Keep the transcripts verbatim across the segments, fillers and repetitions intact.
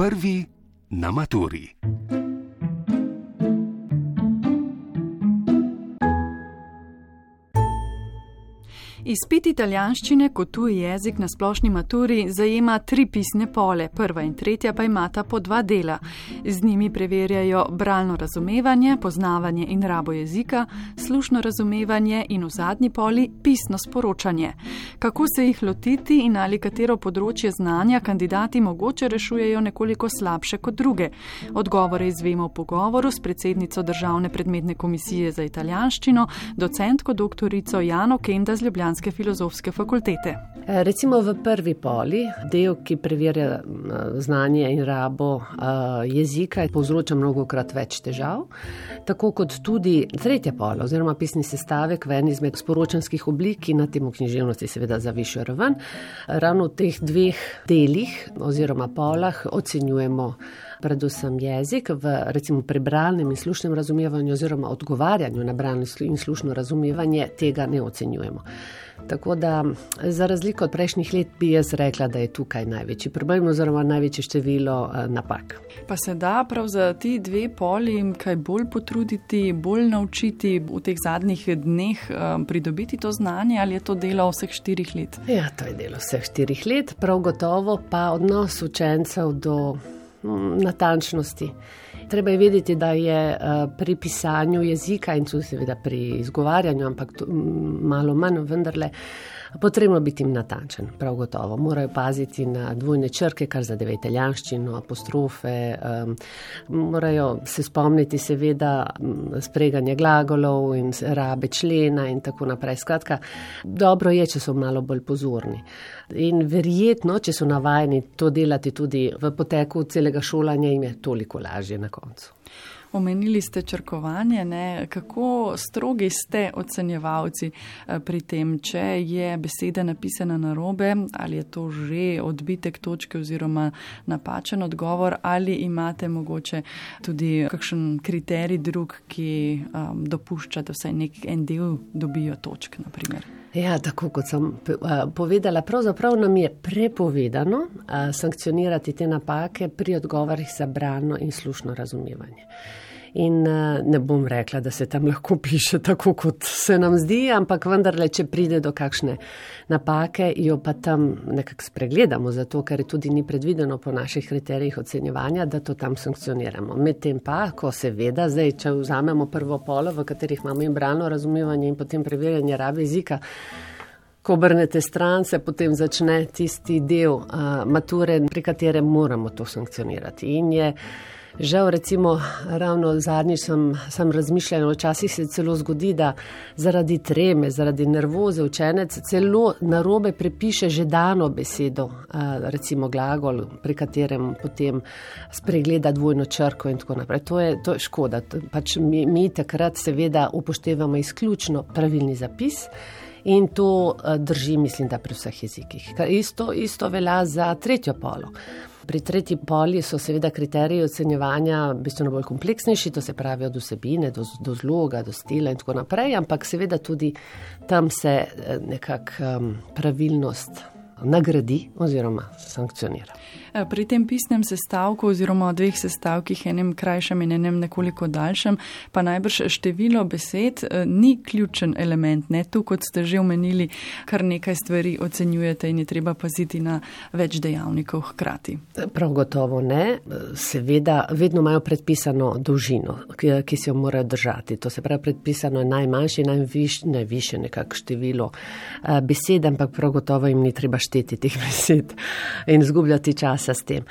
Prvi na maturi. Izpit italijanščine kot tuji jezik na splošni maturi zajema tri pisne pole, prva in tretja pa imata po dva dela. Z njimi preverjajo bralno razumevanje, poznavanje in rabo jezika, slušno razumevanje in v zadnji poli pisno sporočanje. Kako se jih lotiti in ali katero področje znanja kandidati mogoče rešujejo nekoliko slabše kot druge? Odgovore izvemo v pogovoru s predsednico Državne predmetne komisije za italijanščino, docentko doktorico Jano Kenda z Ljubljanske filozofske fakultete. Recimo v prvi poli, del, ki preverja znanje in rabo jezika, povzroča mnogokrat več težav, tako kot tudi tretja pola oziroma pisni sestavek v eni izmed sporočanskih oblik, ki na temu književnosti seveda za višjo raven. Ravno v teh dveh delih oziroma polah ocenjujemo predvsem jezik v recimo prebralnem in slušnem razumevanju oziroma odgovarjanju na bralno in slušno razumevanje tega ne ocenjujemo. Tako da za razliko od prejšnjih let bi jaz rekla, da je tukaj največji problem oziroma največje število napak. Pa se da prav za ti dve poli kaj bolj potruditi, bolj naučiti v teh zadnjih dneh pridobiti to znanje ali je to delo vseh štirih let? Ja, to je delo vseh štirih let, prav gotovo pa odnos učencev do natančnosti. Treba je vedeti, da je pri pisanju jezika in tudi seveda pri izgovarjanju, ampak to, malo manj vendarle, potrebno biti natančen, prav gotovo. Morajo paziti na dvojne črke, kar zadeva italijanščino, apostrofe, um, morajo se spomniti seveda spreganje glagolov in rabe člena in tako naprej. Skratka, dobro je, če so malo bolj pozorni. In verjetno, če so navajeni to delati tudi v poteku celega šolanja, jim je toliko lažje na koncu. Omenili ste črkovanje, ne? Kako strogi ste ocenjevalci pri tem, če je beseda napisana narobe, ali je to že odbitek točke oziroma napačen odgovor, ali imate mogoče tudi kakšen kriterij drug, ki um, dopušča, da vsaj nek en del dobijo točk, na primer? Ja, tako kot sem povedala, pravzaprav nam je prepovedano sankcionirati te napake pri odgovorih za bralno in slušno razumevanje. In ne bom rekla, da se tam lahko piše tako, kot se nam zdi, ampak vendarle, če pride do kakšne napake, jo pa tam nekako spregledamo, zato ker tudi ni predvideno po naših kriterijih ocenjevanja, da to tam sankcioniramo. Medtem pa, ko seveda, zdaj, če vzamemo prvo polo, v katerih imamo in bralno razumevanje in potem preverjanje rabe jezika, ko obrnete stran, se potem začne tisti del uh, mature, pri katerem moramo to sankcionirati. In je žal, recimo, ravno zadnjič sem, sem razmišljala, včasih se celo zgodi, da zaradi treme, zaradi nervoze učenec celo narobe prepiše že dano besedo, recimo glagol, pri katerem potem spregleda dvojno črko in tako naprej. To je, to je škoda. Pač mi, mi takrat seveda upoštevamo izključno pravilni zapis. In to drži, mislim, da pri vseh jezikih. Isto, isto velja za tretjo polo. Pri tretji poli so seveda kriteriji ocenjevanja bistveno bolj kompleksnejši, to se pravi od vsebine do, do zloga, do stila in tako naprej, ampak seveda tudi tam se nekak um, pravilnost nagradi oziroma sankcionira. Pri tem pisnem sestavku oziroma dveh sestavkih, enem krajšem in enem nekoliko daljšem, pa najbrž število besed ni ključen element. Ne? Tu, kot ste že omenili, kar nekaj stvari ocenjujete in je treba paziti na več dejavnikov hkrati. Prav gotovo ne. Seveda, vedno imajo predpisano dolžino, ki, ki se jo morajo držati. To se pravi, predpisano je najmanjše, najviš, najviše nekako število besed, ampak prav gotovo jim ni treba šteti teh besed in izgubljati čas s tem.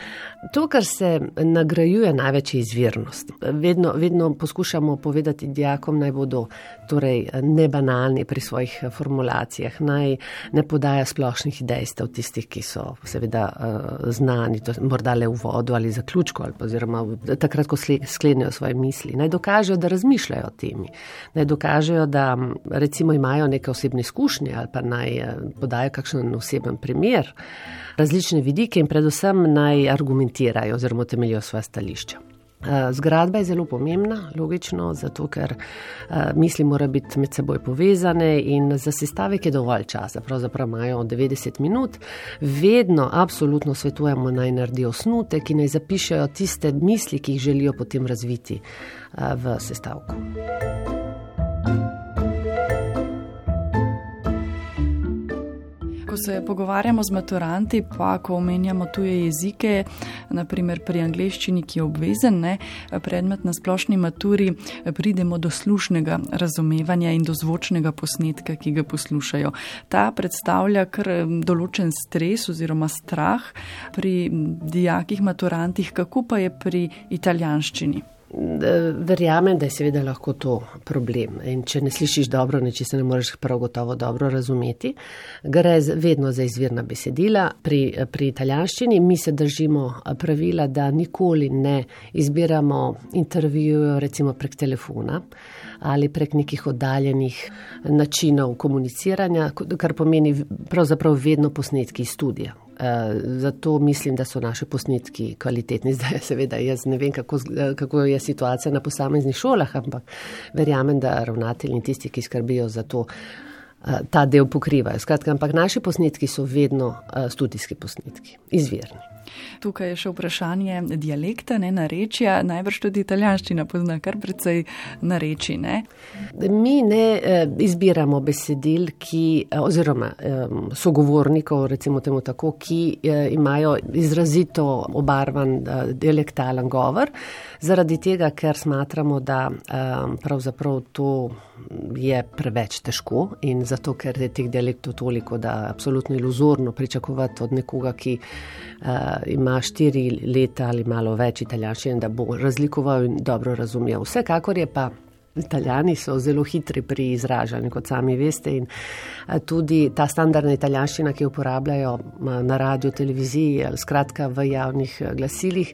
To, kar se nagrajuje največ je izvirnost. Vedno, vedno poskušamo povedati dijakom, naj bodo torej nebanalni pri svojih formulacijah, naj ne podaja splošnih dejstev tistih, ki so seveda uh, znani, to morda le v vodu ali zaključku, ali oziroma takrat, ko sklenejo svoje misli. Naj dokažejo, da razmišljajo o temi. Naj dokažejo, da recimo imajo neke osebne izkušnje ali pa naj podajo kakšen oseben primer, različne vidike in predvsem naj argumentirajo oziroma temeljijo svoja stališča. Zgradba je zelo pomembna, logično, zato ker misli mora biti med seboj povezane in za sestavek je dovolj časa, pravzaprav imajo devetdeset minut. Vedno absolutno svetujemo naj naredijo osnutek in naj zapišejo tiste misli, ki jih želijo potem razviti v sestavku. Ko se pogovarjamo z maturanti, pa ko omenjamo tuje jezike, naprimer pri angleščini, ki je obvezen, ne, predmet na splošni maturi, pridemo do slušnega razumevanja in do zvočnega posnetka, ki ga poslušajo. Ta predstavlja kar določen stres oziroma strah pri dijakih maturantih, kako pa je pri italijanščini? Verjamem, da je seveda lahko to problem in če ne slišiš dobro, nečesa ne moreš prav gotovo dobro razumeti. Gre vedno za izvirna besedila. Pri, pri italijanščini mi se držimo pravila, da nikoli ne izbiramo intervjujev recimo prek telefona ali prek nekih oddaljenih načinov komuniciranja, kar pomeni pravzaprav vedno posnetki iz studija. Zato mislim, da so naši posnetki kvalitetni. Zdaj seveda jaz ne vem, kako, kako je situacija na posameznih šolah, ampak verjamem, da ravnatelji in tisti, ki skrbijo za to, ta del pokrivajo. Skratka, ampak naši posnetki so vedno studijski posnetki, izvirni. Tukaj je še vprašanje dialekta, ne, narečja, najbrž tudi italijanščina pozna kar precej narečij, ne? Mi ne eh, izbiramo besedil, ki, oziroma eh, sogovornikov, recimo temu tako, ki eh, imajo izrazito obarvan eh, dialektalen govor, zaradi tega, ker smatramo, da eh, pravzaprav to je preveč težko in zato, ker je teh dialektov toliko, da absolutno iluzorno pričakovati od nekoga, ki uh, ima štiri leta ali malo več italijanščine, da bo razlikoval in dobro razumel. Vsekakor je pa Italijani so zelo hitri pri izražanju, kot sami veste, in tudi ta standardna italijanščina, ki jo uporabljajo na radiju, televiziji, skratka v javnih glasilih,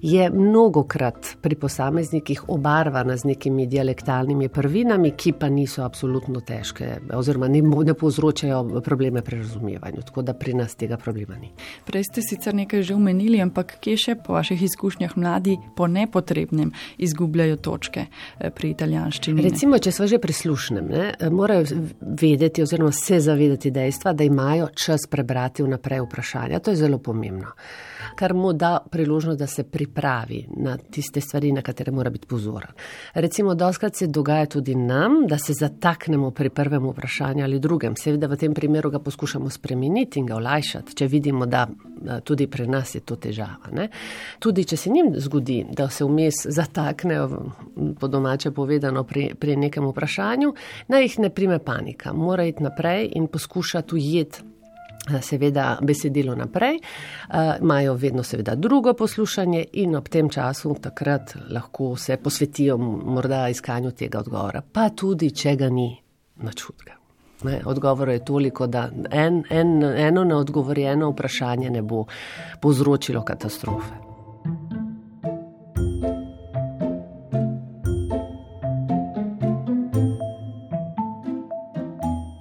je mnogokrat pri posameznikih obarvana z nekimi dialektalnimi prvinami, ki pa niso absolutno težke oziroma ne, ne povzročajo probleme pri razumevanju, tako da pri nas tega problema ni. Prej ste sicer nekaj že omenili, ampak kje še po vaših izkušnjah mladi po nepotrebnem izgubljajo točke pri italijanščini? Recimo, če smo že pri slušnem, ne, morajo vedeti oziroma se zavedati dejstva, da imajo čas prebrati vnaprej vprašanja. To je zelo pomembno, kar mu da priložnost, da se pripravi na tiste stvari, na katere mora biti pozoren. Recimo, doskrat se dogaja tudi nam, da se zataknemo pri prvem vprašanju ali drugem. Seveda v tem primeru ga poskušamo spremeniti in ga olajšati, če vidimo, da tudi pri nas je to težava. Ne. Tudi, če se njim zgodi, da se vmes zataknejo, po domače povedano, pri, pri nekem vprašanju, naj jih ne prime panika. Mora iti naprej in poskušati ujeti seveda besedilo naprej. Imajo vedno seveda drugo poslušanje in ob tem času takrat lahko se posvetijo morda iskanju tega odgovora. Pa tudi, če ga ni, nič hudega. Odgovor je toliko, da en, en, eno neodgovorjeno vprašanje ne bo povzročilo katastrofe.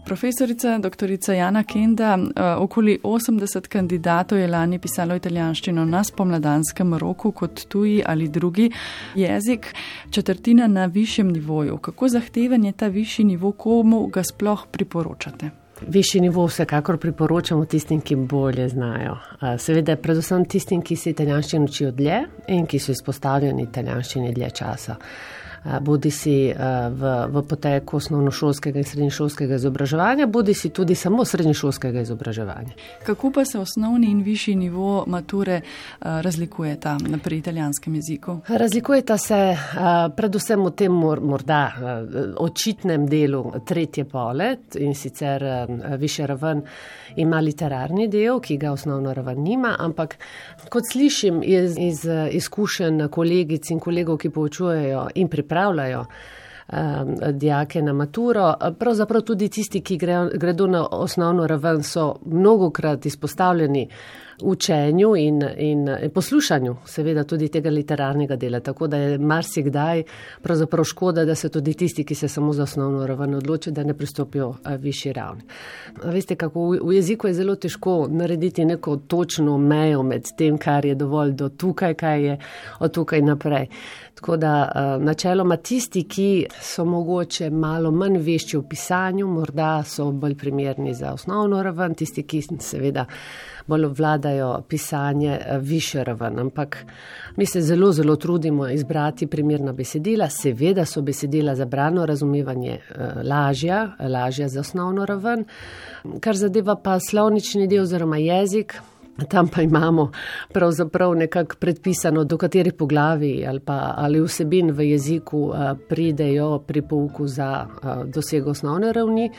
Profesorica doktorica Jana Kenda, okoli osemdeset kandidatov je lani pisalo italijanščino na spomladanskem roku kot tuji ali drugi jezik, četrtina na višjem nivoju. Kako zahteven je ta višji nivo, komu ga sploh priporočate? Višji nivo vsekakor priporočamo tistim, ki bolje znajo. Seveda predvsem tistim, ki se italijanščino učijo dlje in ki so izpostavljeni italijanščini dlje časa. Bodi si v, v poteku osnovnošolskega in srednješolskega izobraževanja, bodi si tudi samo srednješolskega izobraževanja. Kako pa se osnovni in višji nivo mature razlikujeta pri italijanskem jeziku? Razlikujeta se predvsem v tem morda očitnem delu tretje pole in sicer višja raven ima literarni del, ki ga osnovna raven nima, ampak kot slišim iz, iz izkušenj kolegic in kolegov, ki poučujejo in pripravljajo um, dijake na maturo, pravzaprav tudi tisti, ki gre, gredo na osnovno raven, so mnogokrat izpostavljeni učenju in, in poslušanju seveda tudi tega literarnega dela, tako da je marsikdaj pravzaprav škoda, da se tudi tisti, ki se samo za osnovno raven odločijo, da ne pristopijo višji ravni. Veste, kako v jeziku je zelo težko narediti neko točno mejo med tem, kar je dovolj do tukaj, kaj je od tukaj naprej. Tako da načeloma tisti, ki so mogoče malo manj vešči v pisanju, morda so bolj primerni za osnovno raven, tisti, ki seveda bolj obvladajo pisanje višjo raven. Ampak mi se zelo, zelo trudimo izbrati primerna besedila. Seveda so besedila za bralno razumevanje lažja, lažja za osnovno raven. Kar zadeva pa slovnični del oziroma jezik, tam pa imamo pravzaprav nekako predpisano, do katerih poglavij ali pa ali vsebin v jeziku pridejo pri pouku za dosego osnovne ravni,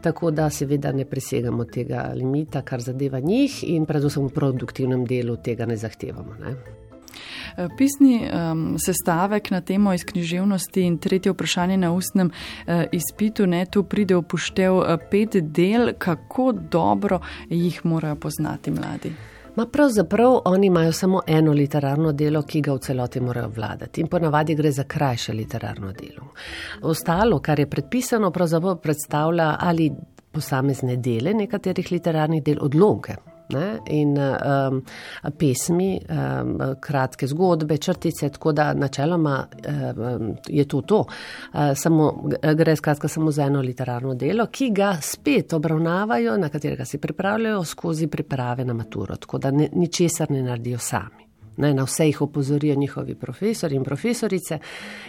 tako da seveda ne presegamo tega limita, kar zadeva njih in predvsem v produktivnem delu tega ne zahtevamo. Ne? Pisni um, sestavek na temo iz književnosti in tretje vprašanje na ustnem uh, izpitu, ne, tu pride upoštev uh, pet del, kako dobro jih morajo poznati mladi. Ma pravzaprav oni imajo samo eno literarno delo, ki ga v celoti morajo vladati in ponavadi gre za krajše literarno delo. Ostalo, kar je predpisano, pravzaprav predstavlja ali posamezne dele nekaterih literarnih del, odlomke. Ne? In um, pesmi, um, kratke zgodbe, črtice, tako da načeloma um, je to to. Uh, samo, gre skratka samo za eno literarno delo, ki ga spet obravnavajo, na katerega se pripravljajo skozi priprave na maturo, tako da ne, ničesar ne naredijo sami. Ne, na vse jih opozorijo njihovi profesori in profesorice,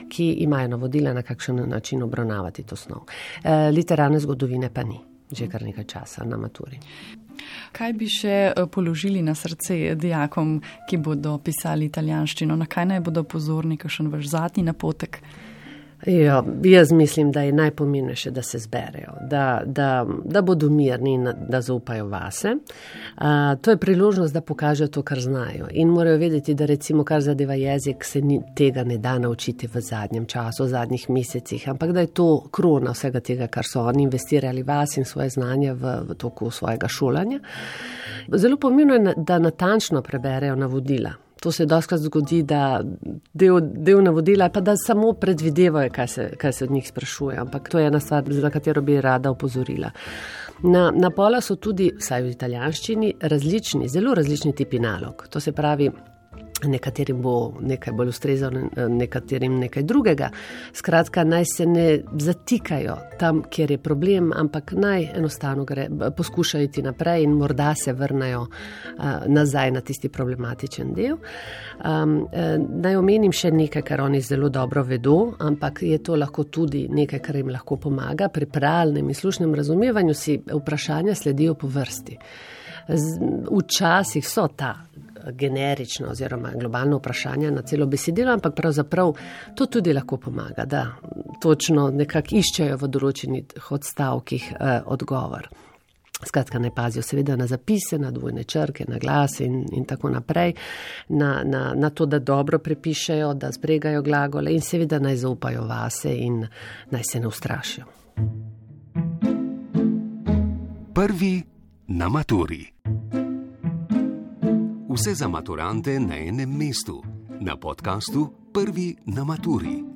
ki imajo navodila, na kakšen način obravnavati to snov. Uh, literarne zgodovine pa ni, že kar nekaj časa na maturi. Kaj bi še položili na srce dijakom, ki bodo pisali italijanščino? Na kaj naj bodo pozorni, kakšen vaš zadnji napotek? Ja, jaz mislim, da je najpomembnejše, da se zberejo, da, da, da bodo mirni in da zaupajo vase. A, to je priložnost, da pokažejo to, kar znajo. In morajo vedeti, da recimo, kar zadeva jezik, se ni, tega ne da naučiti v zadnjem času, v zadnjih mesecih, ampak da je to krona vsega tega, kar so oni investirali vas in svoje znanje v, v toku svojega šolanja. Zelo pomembno je, da natančno preberejo navodila. To se dostakrat zgodi, da del, del navodila pa da samo predvidevajo, kaj se, kaj se od njih sprašuje, ampak to je ena stvar, za katero bi rada opozorila. Na, na pola so tudi, vsaj v italijanščini, različni, zelo različni tipi nalog. To se pravi, nekaterim bo nekaj bolj ustrezalo, nekaterim nekaj drugega. Skratka, naj se ne zatikajo tam, kjer je problem, ampak naj enostavno gre, poskušajo iti naprej in morda se vrnajo uh, nazaj na tisti problematičen del. Um, uh, naj omenim še nekaj, kar oni zelo dobro vedo, ampak je to lahko tudi nekaj, kar jim lahko pomaga. Pri pralnem in slušnem razumevanju si vprašanja sledijo po vrsti. Včasih so ta generična oziroma globalna vprašanja na celo besedilo, ampak pravzaprav to tudi lahko pomaga, da točno nekako iščejo v določenih odstavkih eh, odgovor. Skratka, ne pazijo seveda na zapise, na dvojne črke, na glas in, in tako naprej, na, na, na to, da dobro prepišejo, da zbregajo glagole in seveda naj zaupajo vase in naj se ne ustrašijo. Prvi na maturi. Vse za maturante na enem mestu. Na podkastu Prvi na maturi.